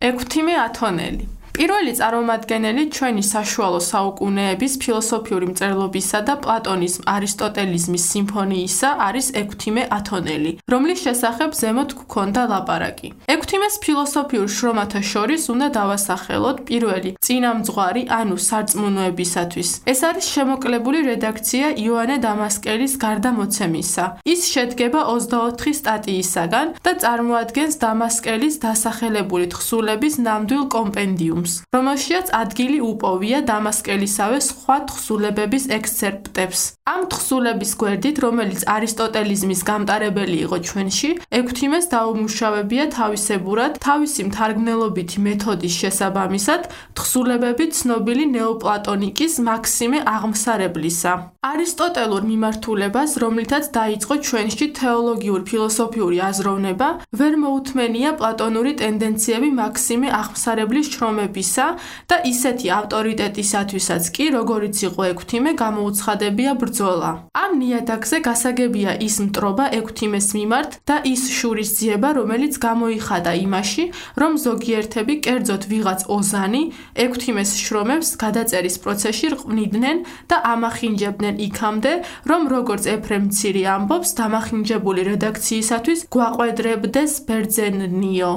ექვთიმე ათონელი პირველი წარმომადგენელი ჩვენი საშუალო საუკუნეების ფილოსოფიური მწერლობისა და პლატონის არისტოტელიზმის სიმფონიისა არის ექვთიმე ათონელი, რომლის შესახებ ზემოთ გვქონდა ლაპარაკი. ექვთიმეს ფილოსოფიურ შრომათა შორის უნდა დავასახელოთ პირველი წინამძღვარი, ანუ სარწმუნოებისათვის. ეს არის შემოკლებული რედაქცია იოანე დამასკელის გარდამოცემისა. ის შედგება 24 სტატიისაგან და წარმოადგენს დამასკელის დასახელებული თხზულების ნამდვილ კომპენდიუმს. რომელშიაც ადგილი უპოვია დამასკელისავე სხვა თხზულებების ექსცერპტებს. ამ თხზულების გვერდით, რომელიც არისტოტელიზმის გამტარებელი იყო ჩვენში, ექვთიმეს დაუმუშავებია თავისებურად თავისი მთარგმნელობითი მეთოდის შესაბამისად თხზულებები ცნობილი ნეოპლატონიკის მაქსიმე აღმსარებლისა. არისტოტელურ მიმართულებას, რომლითაც დაიწყო ჩვენში თეოლოგიური ფილოსოფიური აზროვნება, ვერ მოუთმენია პლატონური ტენდენციები მაქსიმე აღმსარებლის შრომებისა და ისეთი ავტორიტეტისათვისაც კი, როგორიც იყო ექვთიმე, გამოუცხადებია ბრძოლა. ამ ნიადაგზე გასაგებია ის მტრობა ექვთიმეს მიმართ და ის შურისძიება, რომელიც გამოიხადა იმაში, რომ ზოგიერთები, კერძოდ ვიღაც ოზანი, ექვთიმეს შრომებს გადაწერის პროცესში რყვნიდნენ და ამახინჯებდნენ იქამდე, რომ როგორც ეფრემ მცირე ამბობს, დამახინჯებული რედაქციისათვის გვაყვედრებდეს ბერძენნიო.